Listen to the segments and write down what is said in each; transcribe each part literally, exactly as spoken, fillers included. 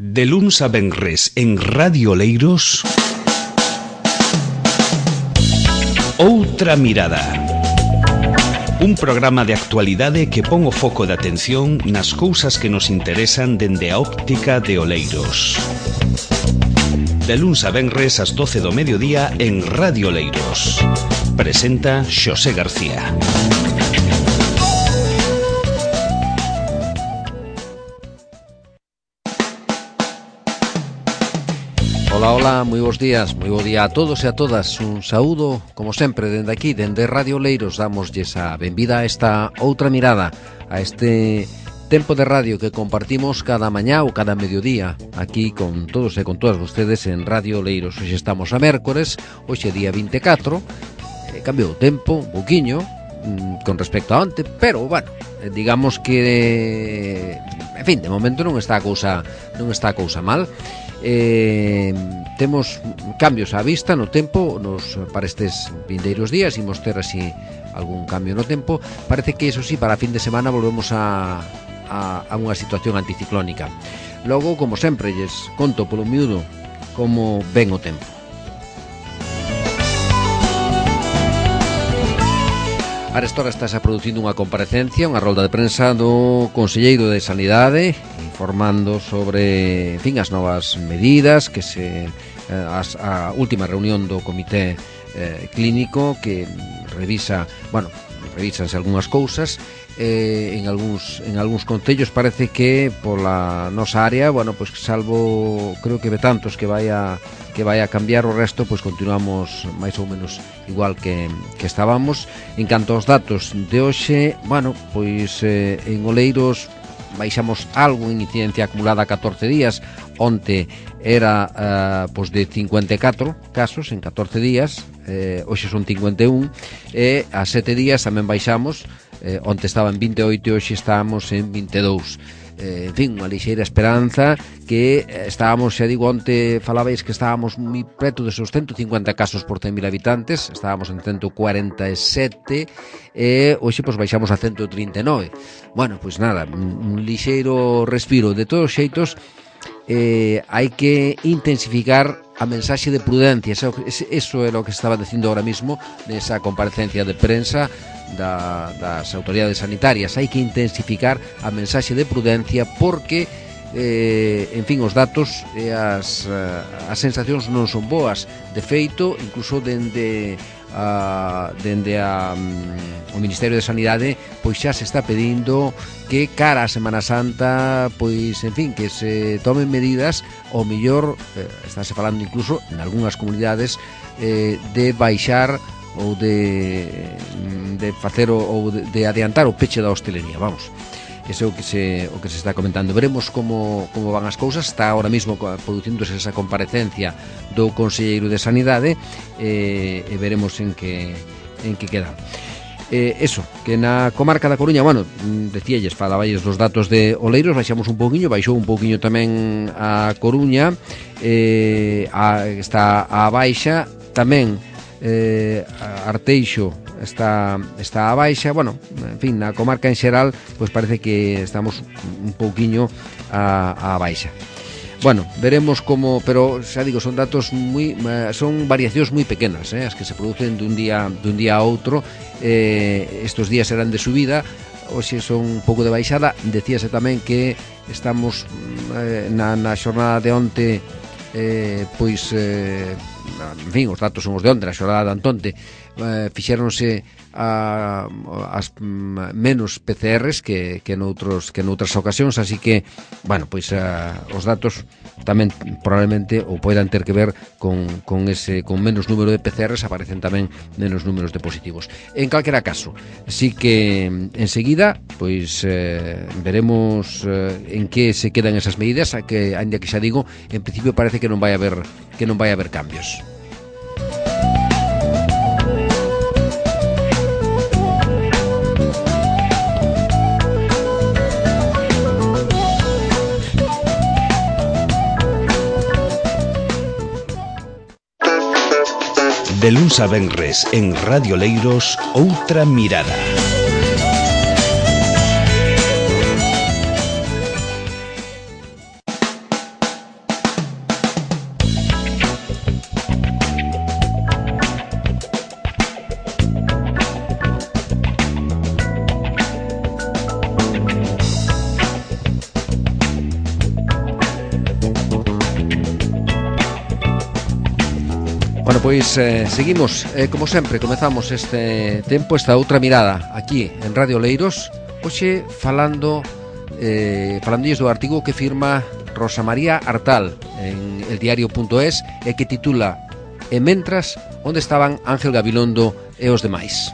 De luns a venres en Radio Oleiros, Outra Mirada. Un programa de actualidade que pon o foco de atención nas cousas que nos interesan dende a óptica de Oleiros. De luns a venres ás doce do mediodía en Radio Oleiros. Presenta Xosé García. Ola, ola, moi bons días, moi bo día a todos e a todas. Un saúdo, como sempre, dende aquí, dende Radio Oleiros. Damoslles a benvida a esta outra mirada, a este tempo de radio que compartimos cada mañá ou cada mediodía aquí con todos e con todas vostedes en Radio Oleiros. Hoxe estamos a mércores, hoxe día vinte e catro, eh, cambiou o tempo un poquinho mm, con respecto a onte, pero, bueno, eh, digamos que, en fin, de momento non está a cousa, non está a cousa mal. Eh, temos cambios á vista no tempo nos, para estes vindeiros días. Imos ter así algún cambio no tempo. Parece que, eso sí, para fin de semana volvemos a, a, a unha situación anticiclónica. Logo, como sempre, lles conto polo miúdo como ven o tempo. Arestora estás a producindo unha comparecencia, unha rolda de prensa do Conselleiro de Sanidade, informando sobre, en fin, as novas medidas que se as, a última reunión do comité eh, clínico que revisa, bueno, revísanse algunhas cousas eh, en algúns en algúns concellos. Parece que pola nosa área, bueno, pois pues, salvo creo que Betantos que vai a que vai a cambiar, o resto pois pues, continuamos máis ou menos igual que, que estábamos. En canto aos datos de hoxe, bueno, pois eh, en Oleiros baixamos algo en incidencia acumulada a catorce días. Onte era uh, pois de cincuenta e catro casos en catorce días, eh, hoxe son cincuenta e un, e a sete días tamén baixamos. eh, onte estaba en vinte e oito e hoxe estamos en vinte e dous. Eh, en fin, unha lixeira esperanza que eh, estábamos, xa digo, onte falabais que estábamos moi preto desos ciento cincuenta casos por cen mil habitantes, estábamos en ciento cuarenta e sete e hoxe pois baixamos a ciento trinta e nove. Bueno, pois nada, un, un lixeiro respiro. De todos os xeitos, eh, hai que intensificar a mensaxe de prudencia. Eso, eso é o que estaba dicindo ahora mismo nesa comparecencia de prensa da, das autoridades sanitarias. Hai que intensificar a mensaxe de prudencia porque eh, en fin, os datos e as, as sensacións non son boas. De feito, incluso dende a, dende a, um, o Ministerio de Sanidade pois xa se está pedindo que cara a Semana Santa pois, en fin, que se tomen medidas, o mellor eh, estáse falando incluso en algunhas comunidades eh, de baixar ou de, de facer o, ou de, de adiantar o peche da hostelería, vamos. Ese é o que se o que se está comentando. Veremos como como van as cousas. Está ahora mesmo producíndose esa comparecencia do Conselleiro de Sanidade eh, e veremos en que en que queda. Eh, eso, que na comarca da Coruña, bueno, decíalles, falaballes dos datos de Oleiros, baixamos un pouquiño, baixou un pouquiño tamén a Coruña, eh, a, está a baixa tamén. Eh, Arteixo está está a baixa. Bueno, en fin, na comarca en xeral pois parece que estamos un pouquiño a, a baixa. Bueno, veremos como, pero xa digo, son datos moi, son variacións moi pequenas, eh, as que se producen dun día dun día a outro. Eh, estos días serán de subida, hoxe son un pouco de baixada. Decíase tamén que estamos eh, na, na xornada de onte eh, pois eh, en fin, os datos son os de onte, a xornada de Antonte, eh, fixéronse a, as menos P C Rs que, que, noutros, que noutras ocasións, así que, bueno, pois a, os datos tamén probablemente ou poidan ter que ver con, con ese con menos número de P C Rs, aparecen tamén menos números de positivos. En calquera caso, sí que enseguida pois eh, veremos eh, en que se quedan esas medidas, a que, ainda que xa digo, en principio parece que non vai haber que non vai haber cambios. De luns a venres en Radio Oleiros, Outra Mirada. Bueno, pois eh, seguimos, eh, como sempre, comezamos este tempo, esta outra mirada aquí en Radio Oleiros, hoxe falando eh, falandilles do artigo que firma Rosa María Artal en el diario punto es e que titula E mentras, onde estaban Ángel Gabilondo e os demais?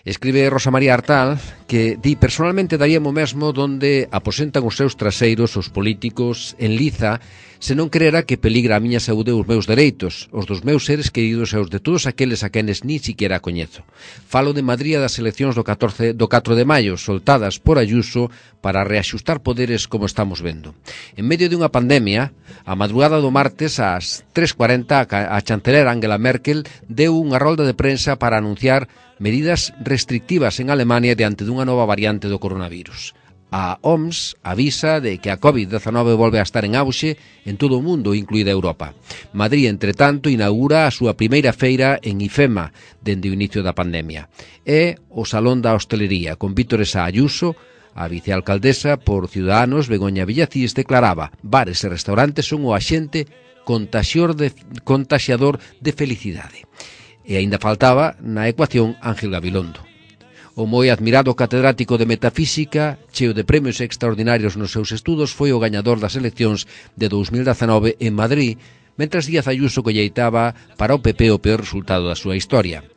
Escribe Rosa María Artal que di personalmente daríamos mesmo donde aposentan os seus traseiros os políticos en liza se non crera que peligra a miña saúde e os meus dereitos, os dos meus seres queridos e os de todos aqueles a quenes ni siquiera coñezo. Falo de Madrid das eleccións do, catorce, do catro de maio, soltadas por Ayuso para reaxustar poderes como estamos vendo. En medio de unha pandemia, a madrugada do martes ás tres cuarenta a chanceler Angela Merkel deu unha rolda de prensa para anunciar medidas restrictivas en Alemania diante dunha nova variante do coronavirus. A O M S avisa de que a covid diecinueve volve a estar en auxe en todo o mundo, incluída Europa. Madrid, entre tanto, inaugura a súa primeira feira en IFEMA dende o inicio da pandemia. É o Salón da Hostelería, con vítores a Ayuso. A vicealcaldesa por Ciudadanos, Begoña Villacís, declaraba: bares e restaurantes son o axente contaxiador de, contaxiador de felicidade. E aínda faltaba na ecuación Ángel Gabilondo. O moi admirado catedrático de metafísica, cheo de premios extraordinarios nos seus estudos, foi o gañador das eleccións de dous mil dezanove en Madrid, mentras Díaz Ayuso colleitaba para o P P o peor resultado da súa historia.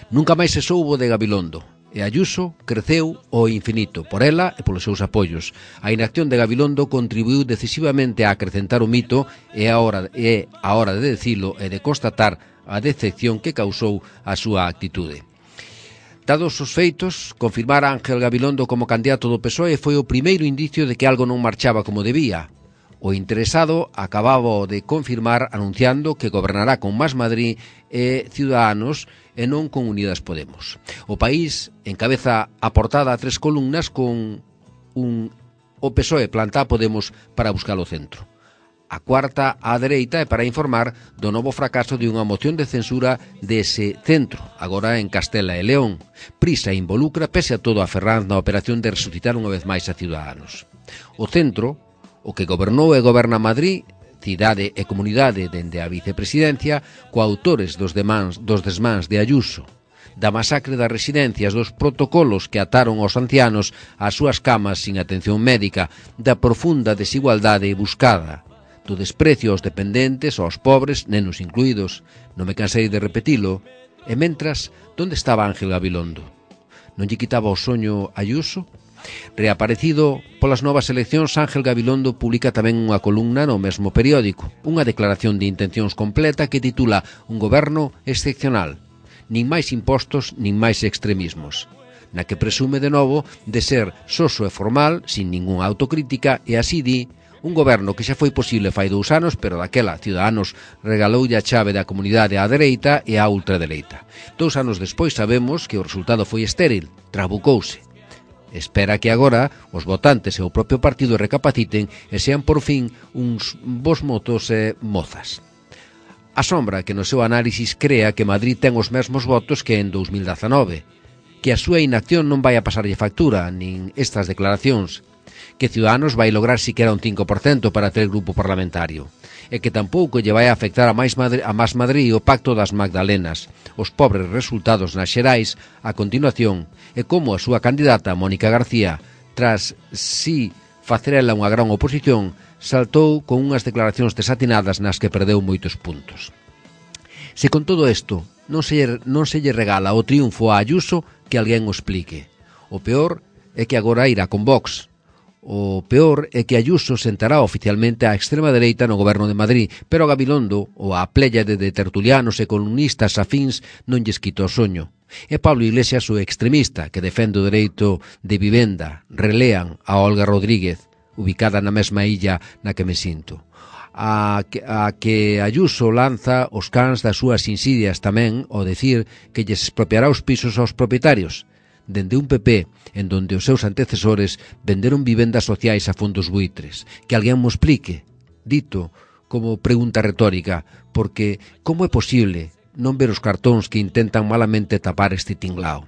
Nunca máis se soubo de Gabilondo, e Ayuso creceu ao infinito, por ela e polos seus apoios. A inacción de Gabilondo contribuiu decisivamente a acrecentar o mito e a hora, e a hora de decilo e de constatar a decepción que causou a súa actitude. Dados os feitos, confirmar a Ángel Gabilondo como candidato do P S O E foi o primeiro indicio de que algo non marchaba como debía. O interesado acababa de confirmar anunciando que gobernará con Más Madrid e Ciudadanos e non con Unidas Podemos. O País encabeza a portada a tres columnas con un o P S O E planta a Podemos para buscar o centro. A cuarta á dereita é para informar do novo fracaso de unha moción de censura dese centro, agora en Castela e León. Prisa involucra, pese a todo, a Ferraz na operación de resucitar unha vez máis a Ciudadanos. O centro, o que gobernou e goberna Madrid, cidade e comunidade dende a vicepresidencia, coautores dos, demans, dos desmáns de Ayuso, da masacre das residencias, dos protocolos que ataron aos ancianos ás súas camas sin atención médica, da profunda desigualdade buscada, do desprecio aos dependentes, aos pobres, nenos incluídos. Non me cansei de repetilo. E mentras, onde estaba Ángel Gabilondo? Non lle quitaba o soño Ayuso? Reaparecido polas novas eleccións, Ángel Gabilondo publica tamén unha columna no mesmo periódico, unha declaración de intencións completa que titula Un goberno excepcional, nin máis impostos, nin máis extremismos, na que presume de novo de ser soso e formal, sin ningunha autocrítica, e así di: un goberno que xa foi posible fai dous anos, pero daquela Ciudadanos regaloulle a chave da comunidade á dereita e á ultradereita. Dous anos despois sabemos que o resultado foi estéril, trabucouse. Espera que agora os votantes e o propio partido recapaciten e sean por fin uns bos motos e mozas. Asombra que no seu análisis crea que Madrid ten os mesmos votos que en dous mil dezanove, que a súa inacción non vai a pasarlle factura, nin estas declaracións, que Ciudadanos vai lograr siquera un cinco por cento para ter grupo parlamentario, e que tampouco lle vai a afectar a máis Madrid, a Más Madrid o pacto das Magdalenas, os pobres resultados nas xerais a continuación, e como a súa candidata Mónica García, tras si facer ela unha gran oposición, saltou con unhas declaracións desatinadas nas que perdeu moitos puntos. Se con todo isto non se, non se lle regala o triunfo a Ayuso, que alguén o explique. O peor é que agora irá con Vox. O peor é que Ayuso sentará oficialmente á extrema dereita no goberno de Madrid, pero a Gabilondo ou a pléyade de tertulianos e columnistas afíns non lles quita o soño. E Pablo Iglesias, o extremista que defende o dereito de vivenda, relean a Olga Rodríguez, ubicada na mesma illa na que me sinto. A que, a que Ayuso lanza os cans das súas insidias tamén ao decir que lles expropiará os pisos aos propietarios, dende un P P en donde os seus antecesores venderon vivendas sociais a fondos buitres. Que alguén mo explique, dito como pregunta retórica, porque como é posible non ver os cartóns que intentan malamente tapar este tinglao?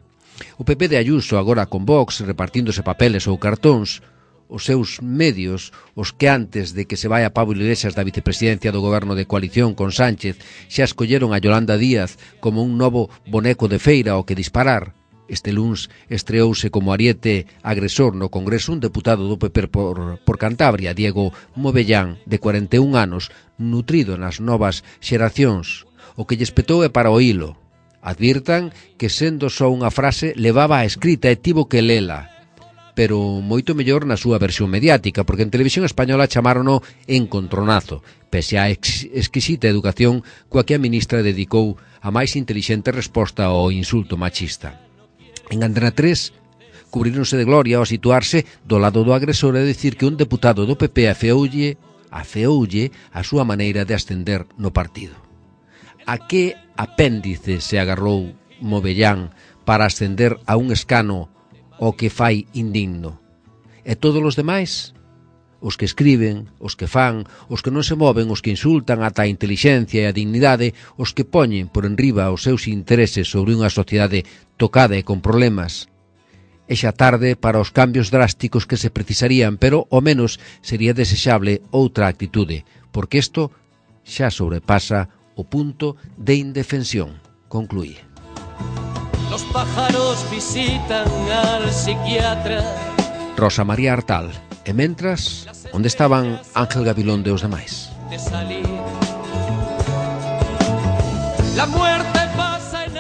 O P P de Ayuso, agora con Vox, repartíndose papeles ou cartóns, os seus medios, os que antes de que se vai a Pablo Iglesias da vicepresidencia do goberno de coalición con Sánchez xa escolleron a Yolanda Díaz como un novo boneco de feira ao que disparar. Este luns estreouse como ariete agresor no Congreso un deputado do P P por, por Cantabria, Diego Movellán, de cuarenta e un anos, nutrido nas novas xeracións. O que lle espetou é para o hilo. Advirtan que sendo só unha frase levaba a escrita e tivo que lela, pero moito mellor na súa versión mediática, porque en Televisión Española chamarono encontronazo, pese á ex exquisita educación coa que a ministra dedicou a máis intelixente resposta ao insulto machista. En Antena tres, cubríronse de gloria ao situarse do lado do agresor e dicir que un deputado do P P afeoulle, afeoulle a súa maneira de ascender no partido. A que apéndice se agarrou Movellán para ascender a un escano o que fai indigno? E todos os demais? Os que escriben, os que fan, os que non se moven, os que insultan ata a intelixencia e a dignidade, os que poñen por enriba os seus intereses sobre unha sociedade tocada e con problemas. É xa tarde para os cambios drásticos que se precisarían, pero ao menos sería desexable outra actitude, porque isto xa sobrepasa o punto de indefensión, concluí. Los pájaros visitan al psiquiatra. Rosa María Artal. E mentras, onde estaban Ángel Gabilón e os demais?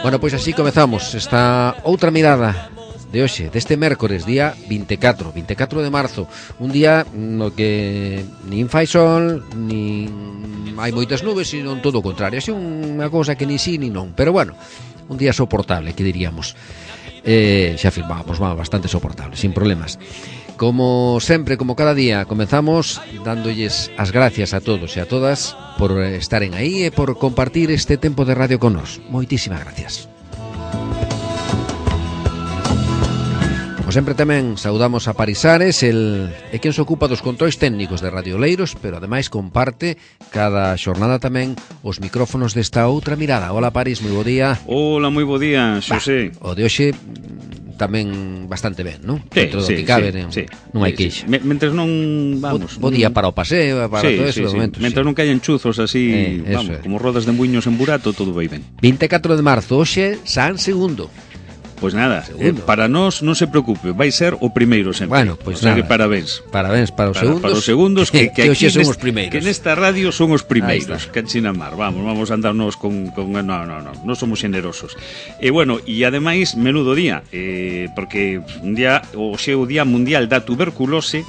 Bueno, pois así comezamos esta outra mirada de hoxe, deste mércores, día vinte e catro, vinte e catro de marzo, un día no que nin fai sol, nin hai moitas nubes, sino todo o contrario, así unha cousa que ni sí ni non, pero bueno, un día soportable, que diríamos. Eh, xa afirmábamos, va, bastante soportable, sin problemas. Como sempre, como cada día, comenzamos dándolles as gracias a todos e a todas por estaren aí e por compartir este tempo de radio con nós. Moitísimas gracias. Como sempre tamén saudamos a Parisares, el é quen se ocupa dos controis técnicos de Radio Oleiros, pero ademais comparte cada xornada tamén os micrófonos desta outra mirada. Hola Paris, moi bo día. Hola, moi bo día, Xosé. O de hoxe tamén bastante ben, non? Sí, Dentro do sí, que cabe, sí, non, sí, non hai sí, queixa. sí. Mentres non, vamos... Bo día para o paseo, para sí, todo sí, eso, sí. momento. Mentres sí. non caen chuzos así, Eh, vamos, é. como rodas de muiños en burato, todo vai ben. vinte e catro de marzo, hoxe, San Segundo. Pois nada, eh, para nós non se preocupe, vai ser o primeiro sempre. Bueno, pois o sea nada. que parabéns. Parabéns para os Para, segundos. para os segundos que, que, que aquí hoxe son nest, os primeiros. que nesta radio son os Ahí primeiros. está. Que enchina mar, vamos, vamos a andarnos con, con no, no, no, non somos generosos. E bueno, e ademais menudo día, eh, porque un día hoxe é o Día Mundial da Tuberculose.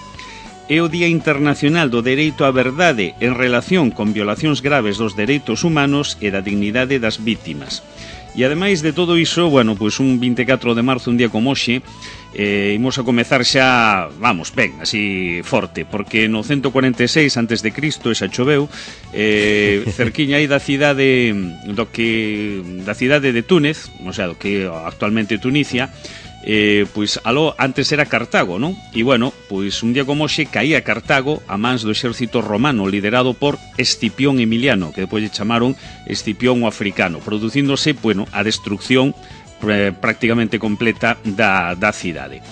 É o Día Internacional do Dereito á Verdade en relación con violacións graves dos dereitos humanos e da dignidade das vítimas. E ademais de todo iso, bueno, pois un vinte e catro de marzo, un día como hoxe, eh, imos a comezar xa, vamos, ben, así forte, porque no ciento cuarenta e seis antes de Cristo, esa choveu, eh, cerquiña aí da cidade do que da cidade de Túnez, o sea, do que actualmente Tunisia, Eh, pois aló antes era Cartago, non? E bueno, pois un día como hoxe caía Cartago a mans do exército romano liderado por Escipión Emiliano, que depois lle chamaron Escipión o Africano, producíndose, bueno, a destrucción eh, prácticamente completa da, da cidade.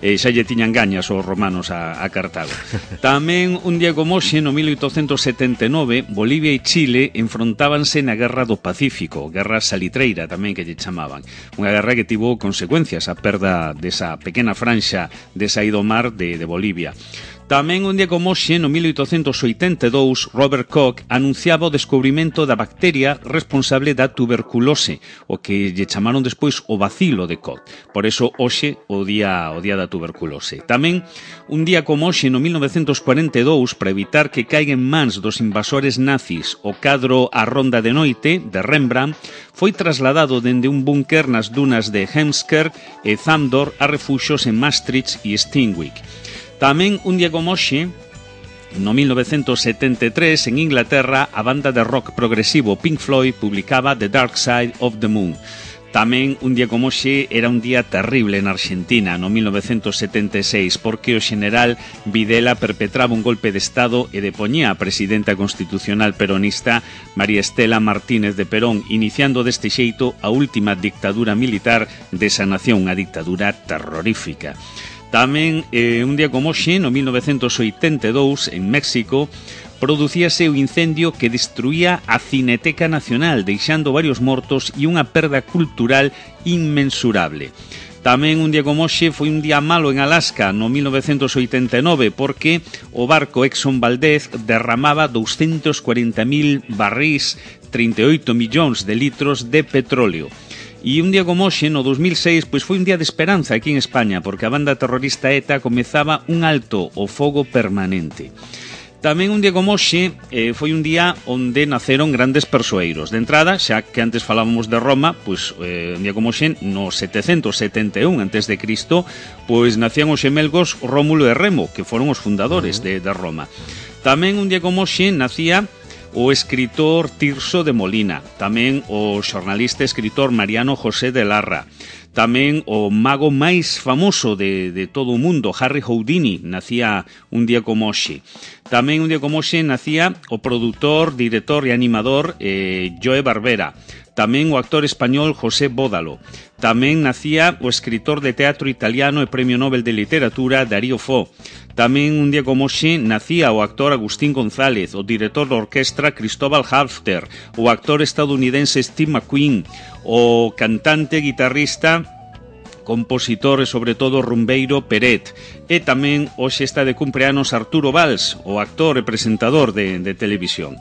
E xa lle tiñan gañas os romanos a, a Cartago. Tamén un día como hoxe, no mil oitocentos setenta e nove, Bolivia e Chile enfrontábanse na Guerra do Pacífico, Guerra Salitreira tamén que lle chamaban. Unha guerra que tivo consecuencias, a perda desa pequena franxa de saído ao mar de, de Bolivia. Tamén un día como hoxe, no mil oitocentos oitenta e dous, Robert Koch anunciaba o descubrimento da bacteria responsable da tuberculose, o que lle chamaron despois o bacilo de Koch. Por eso hoxe o día o día da tuberculose. Tamén un día como hoxe, no mil novecentos cuarenta e dous, para evitar que caigan en mans dos invasores nazis o cadro A Ronda de Noite de Rembrandt, foi trasladado dende un búnker nas dunas de Hemsker e Zamdor a refuxos en Maastricht e Steenwijk. Tamén un día como hoxe, no mil novecentos setenta e tres, en Inglaterra, a banda de rock progresivo Pink Floyd publicaba The Dark Side of the Moon. Tamén un día como hoxe era un día terrible en Argentina, no mil novecentos setenta e seis, porque o xeneral Videla perpetraba un golpe de Estado e depoñía a presidenta constitucional peronista María Estela Martínez de Perón, iniciando deste xeito a última dictadura militar desa nación, a dictadura terrorífica. Tamén, eh, un día como hoxe, no mil novecentos oitenta e dous, en México, producíase o incendio que destruía a Cineteca Nacional, deixando varios mortos e unha perda cultural inmensurable. Tamén un día como hoxe foi un día malo en Alaska no mil novecentos oitenta e nove porque o barco Exxon Valdez derramaba doscientos cuarenta mil barrís, trinta e oito millóns de litros de petróleo. E un día como hoxe, no dos mil seis, pois foi un día de esperanza aquí en España porque a banda terrorista ETA comezaba un alto o fogo permanente. Tamén un día como hoxe eh, foi un día onde naceron grandes persoeiros. De entrada, xa que antes falábamos de Roma, pois eh, un día como hoxe, no setecentos setenta e un antes de Cristo, pois nacían os xemelgos Rómulo e Remo, que foron os fundadores de, de Roma. Tamén un día como hoxe nacía o escritor Tirso de Molina, tamén o xornalista e escritor Mariano José de Larra. Tamén o mago máis famoso de, de todo o mundo, Harry Houdini, nacía un día como hoxe. Tamén un día como hoxe nacía o produtor, director e animador eh, Joe Barbera. Tamén o actor español José Bódalo. Tamén nacía o escritor de teatro italiano e premio Nobel de Literatura Darío Fo. Tamén un día como hoxe nacía o actor Agustín González, o director da orquestra Cristóbal Halfter, o actor estadounidense Steve McQueen, o cantante, guitarrista, compositor e sobre todo rumbeiro Peret. E tamén hoxe está de cumpleanos Arturo Valls, o actor e presentador de, de televisión.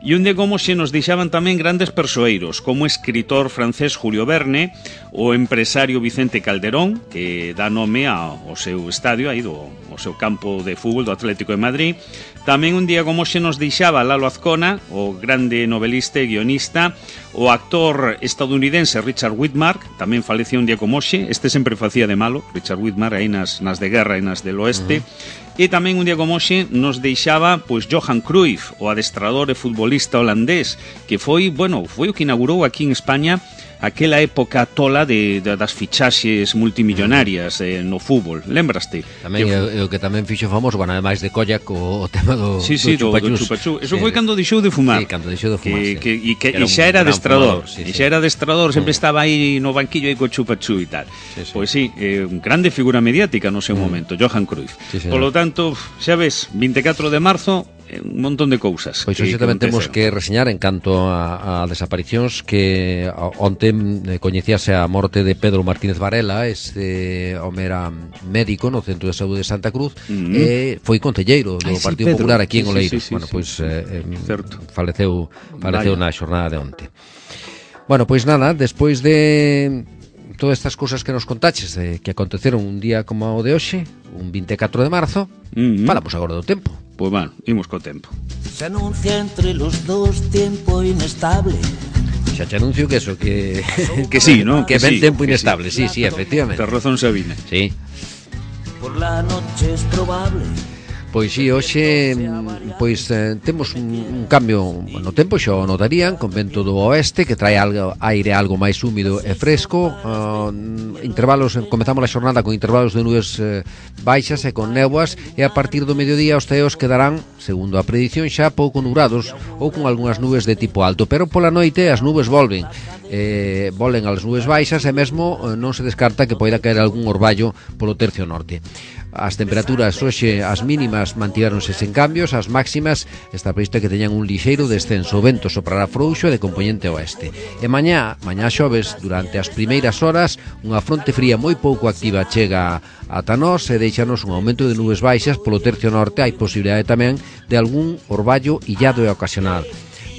E un día como hoxe nos deixaban tamén grandes persoeiros, como o escritor francés Julio Verne, o empresario Vicente Calderón, que dá nome ao seu estadio, aí do, ao seu campo de fútbol do Atlético de Madrid. Tamén un día como hoxe nos deixaba Lalo Azcona, o grande novelista e guionista, o actor estadounidense Richard Widmark, tamén falecía un día como hoxe, este sempre facía de malo, Richard Widmark, aí nas, nas de guerra e nas del oeste. Uh-huh. E tamén un día como hoxe nos deixaba pois Johan Cruyff, o adestrador e futbolista holandés, que foi, bueno, foi o que inaugurou aquí en España aquela época tola de, de das fichaxes multimillonarias eh, no fútbol, lembraste? Tamén que, o, o que tamén fixo famoso, bueno, ademais de Koyak, o, o tema do, sí, sí, do, do chupachú. Eso sí, foi cando deixou de fumar. Sí, cando deixou de fumar. Que, sí. que, e, que, que e xa era adestrador. Sí, e sí. xa era adestrador, sempre mm. estaba aí no banquillo aí co chupachú e tal. Sí, sí. Pois sí, eh, grande figura mediática no seu mm. momento, Johan Cruyff. Sí, Por lo tanto, xa ves, vinte e catro de marzo, un montón de cousas. Pois hoxe tamén temos que reseñar en canto a, a desaparicións que onte coñecíase a morte de Pedro Martínez Varela, este home era médico no Centro de Saúde de Santa Cruz, mm-hmm. e foi concelleiro do Ay, sí, Partido Pedro. Popular aquí en Oleiros. Sí, sí, sí, bueno, pois sí. eh, faleceu faleceu Vaya. na xornada de onte. Bueno, pois nada, despois de todas estas cousas que nos contaches eh, que aconteceron un día como o de hoxe, un vinte e catro de marzo, mm-hmm. falamos agora do tempo. Pois bueno, imos co tempo. Se anuncia entre los dos tiempo inestable. Xa te anuncio que eso, que que sí, ¿no? Que, que ven sí, tempo que inestable, sí, sí, sí, efectivamente. Ten razón Sabine. Sí. Por la noche es probable. Pois si, sí, hoxe pois eh, temos un, un cambio no tempo, xa o notarían, con vento do oeste que trae algo, aire algo máis húmido e fresco, uh, intervalos, comezamos a xornada con intervalos de nubes eh, baixas e con néboas, e a partir do mediodía os ceos quedarán, segundo a predición, xa pouco nubrados ou con algunhas nubes de tipo alto, pero pola noite as nubes volven eh, volen as nubes baixas e mesmo eh, non se descarta que poida caer algún orballo polo tercio norte. As temperaturas hoxe, as mínimas mantiveronse sen cambios, as máximas está previsto que teñan un lixeiro descenso, o vento soprará frouxo de componente oeste. E mañá, mañá xoves, durante as primeiras horas, unha fronte fría moi pouco activa chega ata nós e deixanos un aumento de nubes baixas polo tercio norte. Hai posibilidade tamén de algún orballo illado e ocasional.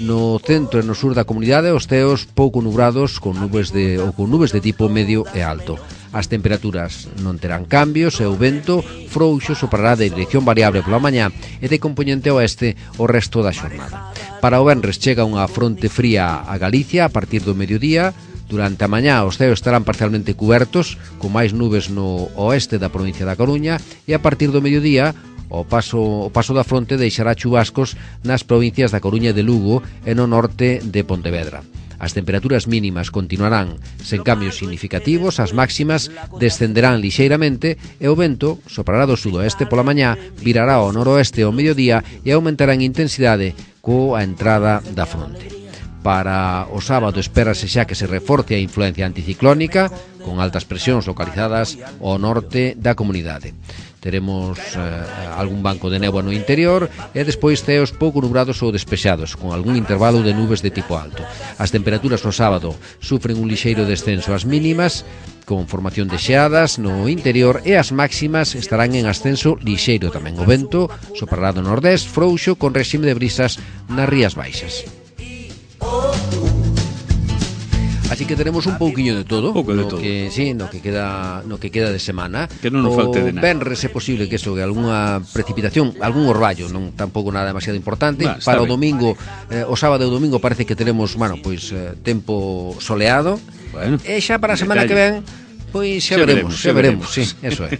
No centro e no sur da comunidade os ceos pouco nubrados con nubes de ou con nubes de tipo medio e alto. As temperaturas non terán cambios e o vento frouxo soprará de dirección variable pola mañá e de componente oeste o resto da xornada. Para o venres chega unha fronte fría a Galicia a partir do mediodía. Durante a mañá os ceos estarán parcialmente cubertos, con máis nubes no oeste da provincia da Coruña, e a partir do mediodía o paso, o paso da fronte deixará chubascos nas provincias da Coruña e de Lugo e no norte de Pontevedra. As temperaturas mínimas continuarán sen cambios significativos, as máximas descenderán lixeiramente e o vento soprará do sudoeste pola mañá, virará ao noroeste ao mediodía e aumentará en intensidade coa entrada da fronte. Para o sábado espérase xa que se reforce a influencia anticiclónica, con altas presións localizadas ao norte da comunidade. Teremos eh, algún banco de néboa no interior e despois ceos pouco nubrados ou despexados, con algún intervalo de nubes de tipo alto. As temperaturas no sábado sufren un lixeiro descenso ás mínimas, con formación de xeadas no interior, e as máximas estarán en ascenso lixeiro tamén. O vento soprará do nordés frouxo con réxime de brisas nas rías baixas. Así que tenemos un pouquiño de todo, pouco de no todo. que sí, no que queda, no que queda de semana. Que non nos falte de nada. O venres é posible que eso, que algunha precipitación, algún orballo, non tampouco nada demasiado importante. Bah, Para o ben. domingo, eh, o sábado e o domingo parece que teremos, bueno, pois eh, tempo soleado. Bueno, E xa para a semana detalle. que ven, pois xa, Xa veremos, veremos, xa xa veremos, veremos. sí, eso é.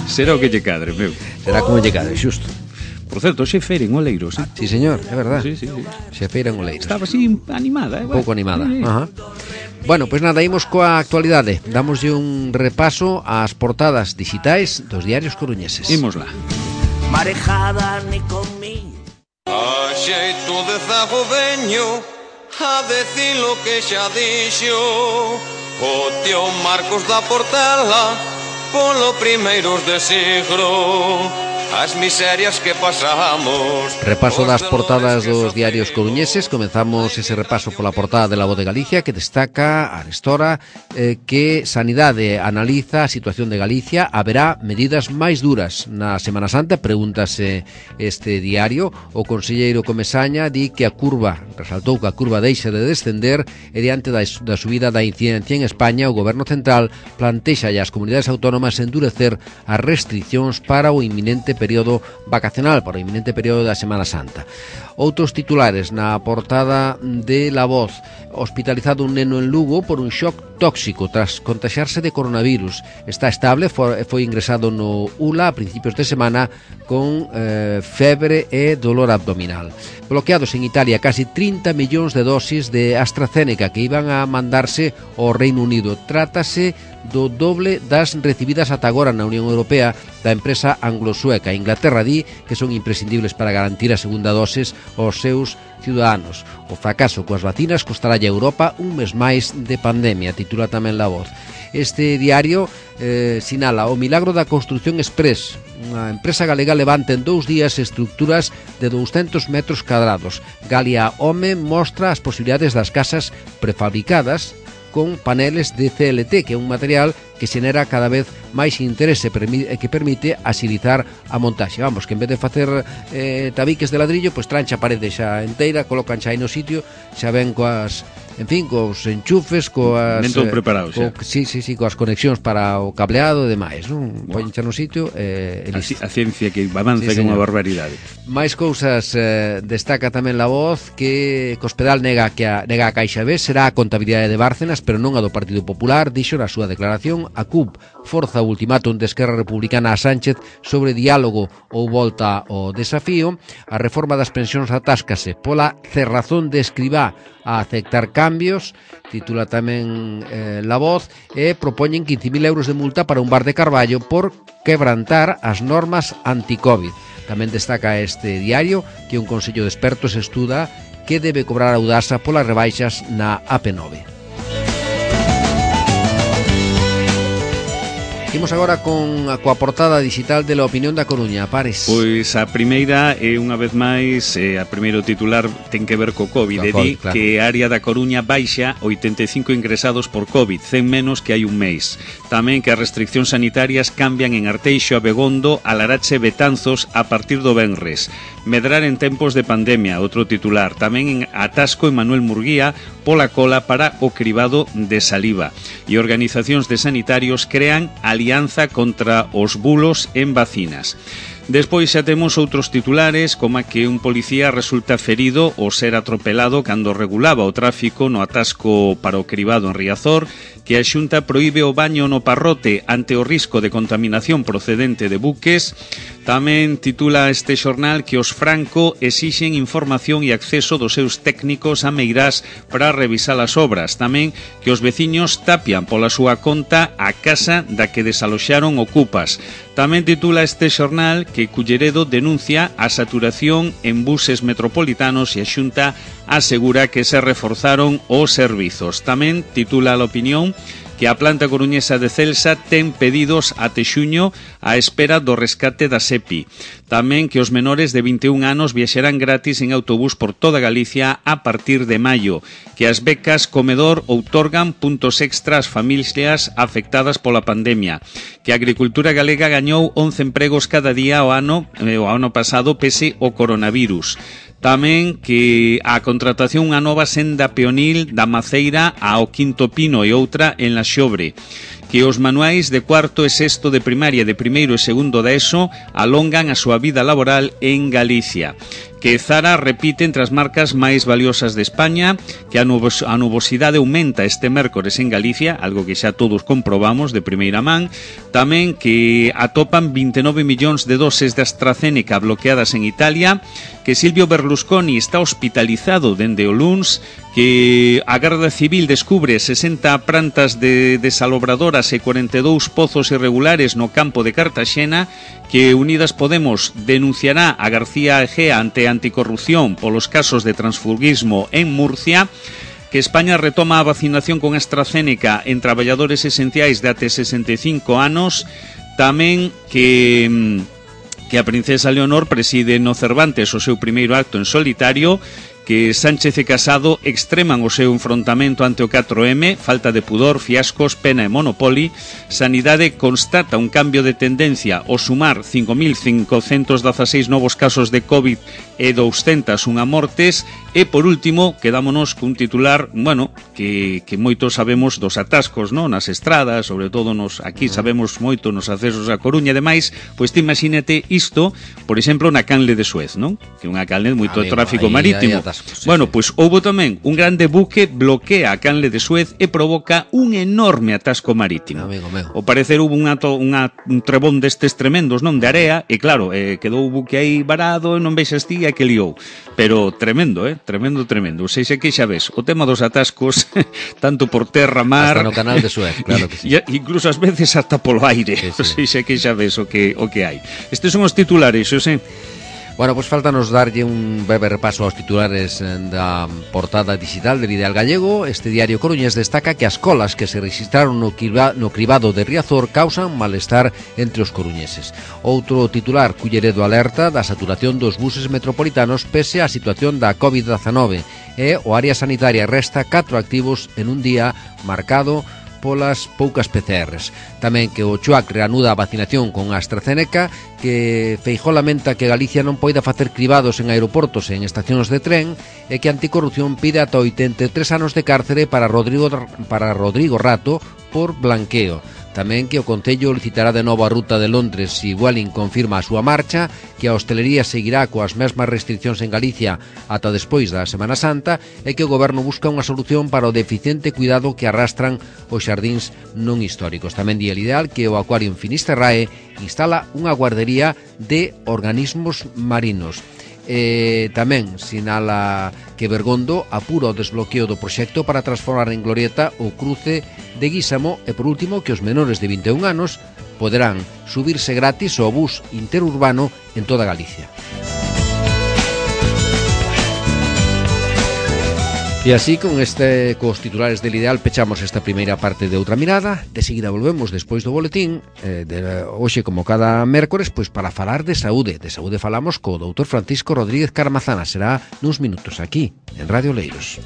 Será o que lle cadre, meu. Será como lle cade, xusto. Por certo, xe feira en Oleiros, eh? Sí, señor, é verdad. Sí, sí, sí. Xa feira en Oleiros. Estaba así animada, eh? Pouco animada. Sí. Ajá. Bueno, pois pues nada, imos coa actualidade. Damoslle un repaso ás portadas digitais dos diarios coruñeses. Imos lá. Marejada ni conmigo. A xeito de zago veño a decir lo que xa dixo o tío Marcos da Portela polo primeiros de siglo. As miserias que pasamos. Repaso das portadas dos diarios coruñeses. Comenzamos ese repaso pola portada de La Voz de Galicia, que destaca a Arestora eh, que Sanidade analiza a situación de Galicia. Haberá medidas máis duras na Semana Santa, pregúntase este diario. O conselleiro Comesaña di que a curva, resaltou que a curva deixa de descender, e diante da, da subida da incidencia en España, o Goberno Central plantexa as comunidades autónomas endurecer as restriccións para o inminente período vacacional, para o inminente período da Semana Santa. Outros titulares na portada de La Voz. Hospitalizado un neno en Lugo por un shock tóxico tras contagiarse de coronavirus. Está estable, foi ingresado no U L A a principios de semana con eh, febre e dolor abdominal. Bloqueados en Italia casi trinta millóns de dosis de AstraZeneca que iban a mandarse ao Reino Unido. Trátase do doble das recibidas ata agora na Unión Europea da empresa anglo-sueca. Inglaterra di que son imprescindibles para garantir a segunda doses aos seus ciudadanos. O fracaso coas vacinas costará a Europa un mes máis de pandemia, titula tamén La Voz. Este diario eh, sinala o milagro da Construcción Express. Unha empresa galega levanta en dous días estructuras de douscentos metros cadrados. Galia Home mostra as posibilidades das casas prefabricadas con paneles de C L T, que é un material que xenera cada vez máis interese e que permite axilizar a montaxe. Vamos, que en vez de facer eh, tabiques de ladrillo, pois trancha a parede xa enteira, colocan xa aí no sitio, xa ven coas, en fin, cos enchufes, coas... Ben todo preparado, xa. Co, sí, sí, sí, coas conexións para o cableado e demais, non? Poñen xa no sitio e, e A, listo. a ciencia que avanza Sí, que é unha señor. barbaridade. Mais cousas, eh, destaca tamén La Voz que Cospedal nega que a, nega a Caixa B será a contabilidade de Bárcenas, pero non a do Partido Popular. Dixo na súa declaración a C U P forza o ultimátum de Esquerra Republicana a Sánchez sobre diálogo ou volta ao desafío. A reforma das pensións atáscase pola cerrazón de Escribá a aceptar cambios, titula tamén eh, La Voz, e propoñen quince mil euros de multa para un bar de Carballo por quebrantar as normas anti-Covid. Tamén destaca este diario que un consello de expertos estuda que debe cobrar a Audasa polas rebaixas na A P nove. Imos agora con a coa portada digital de La Opinión da Coruña. Pares. Pois a primeira é unha vez máis, eh, a primeiro titular ten que ver co COVID, Co e di COVID, claro. que a área da Coruña baixa oitenta e cinco ingresados por COVID, cen menos que hai un mes. Tamén que as restriccións sanitarias cambian en Arteixo, Abegondo, Alarache, Betanzos a partir do venres. Medrar en tempos de pandemia, outro titular. Tamén en atasco en Manuel Murguía pola cola para o cribado de saliva. E organizacións de sanitarios crean alianza contra os bulos en vacinas. Despois xa temos outros titulares, como que un policía resulta ferido ao ser atropelado cando regulaba o tráfico no atasco para o cribado en Riazor, que a Xunta proíbe o baño no Parrote ante o risco de contaminación procedente de buques. Tamén titula este xornal que os Franco exixen información e acceso dos seus técnicos a Meirás para revisar as obras. Tamén que os veciños tapian pola súa conta a casa da que desaloxaron ocupas. Tamén titula este xornal que Culleredo denuncia a saturación en buses metropolitanos e a Xunta asegura que se reforzaron os servizos. Tamén titula a Opinión que a planta coruñesa de Celsa ten pedidos até xuño á espera do rescate da SEPI. Tamén que os menores de vinte e un anos viaxarán gratis en autobús por toda Galicia a partir de maio. Que as becas Comedor outorgan puntos extra ás familias afectadas pola pandemia. Que a agricultura galega gañou once empregos cada día o ano, eh, o ano pasado pese o coronavirus. Tamén que a contratación unha nova senda peonil da Maceira ao Quinto Pino e outra en La Xobre. Que os manuais de cuarto e sexto de primaria, de primeiro e segundo da ESO alongan a súa vida laboral en Galicia. Que Zara repite entre as marcas máis valiosas de España, que a, nubos, a nubosidade aumenta este mércores en Galicia, algo que xa todos comprobamos de primeira man. Tamén que atopan vinte e nove millóns de doses de AstraZeneca bloqueadas en Italia, que Silvio Berlusconi está hospitalizado dende o luns, que a Garda Civil descubre sesenta prantas de desalobradoras e cuarenta e dous pozos irregulares no campo de Cartaxena, que Unidas Podemos denunciará a García Egea ante anticorrupción polos casos de transfugismo en Murcia, que España retoma a vacinación con AstraZeneca en traballadores esenciais de até sesenta e cinco anos, tamén que que a princesa Leonor preside no Cervantes o seu primeiro acto en solitario, que Sánchez e Casado extreman o seu enfrontamento ante o catro eme, falta de pudor, fiascos, pena e monopoly. Sanidade constata un cambio de tendencia ao sumar cinco mil cincocentos dezaseis novos casos de COVID e douscentas unha mortes. E por último, quedámonos cun titular, bueno, que, que moitos sabemos dos atascos, non? Nas estradas, sobre todo nos aquí sabemos moito nos accesos a Coruña e demais. Pois te imagínate isto, por exemplo, na canle de Suez, non? Que é unha canle moito Amigo, tráfico aí, marítimo. aí atascos, sí, bueno, sí. pois houbo tamén un grande buque bloquea a canle de Suez e provoca un enorme atasco marítimo. Amigo meu. Ao parecer hubo unha, unha, un trebón destes tremendos, non? De area, e claro, eh, quedou o buque aí varado, e non vexas ti a que liou. Pero tremendo, eh? Tremendo, tremendo. Ou seja, que xa ves, o tema dos atascos, tanto por terra, mar... Hasta no canal de Suez, claro que sí. E incluso ás veces hasta polo aire. Sí, sí. O seja, que xa ves o que, o que hai. Estes son os titulares, Xosé. Bueno, pois pues faltanos darlle un breve repaso aos titulares da portada digital del Ideal Gallego. Este diario coruñés destaca que as colas que se registraron no, criba, no cribado de Riazor causan malestar entre os coruñeses. Outro titular, Culleredo alerta da saturación dos buses metropolitanos pese á situación da covid dezanove, e o área sanitaria resta catro activos en un día marcado polas poucas P C Rs. Tamén que o Chuac reanuda a vacinación con AstraZeneca, que Feijóo lamenta que Galicia non poida facer cribados en aeroportos e en estacións de tren, e que Anticorrupción pide ata oitenta e tres anos de cárcere para Rodrigo, para Rodrigo Rato por blanqueo. Tamén que o Concello licitará de novo a ruta de Londres se Vueling confirma a súa marcha, que a hostelería seguirá coas mesmas restriccións en Galicia ata despois da Semana Santa, e que o Goberno busca unha solución para o deficiente cuidado que arrastran os xardíns non históricos. Tamén di El Ideal que o Acuario en Finisterrae instala unha guardería de organismos marinos. E tamén sinala que Bergondo apura o desbloqueo do proxecto para transformar en glorieta o cruce de Guísamo, e por último que os menores de vinte e un anos poderán subirse gratis ao bus interurbano en toda Galicia. E así, con este cos titulares del Ideal, pechamos esta primeira parte de Outra Mirada. De seguida volvemos despois do boletín eh, de hoxe, como cada mércores, pois para falar de saúde. De saúde falamos co doutor Francisco Rodríguez Carmazana. Será nuns minutos aquí, en Radio Leiros.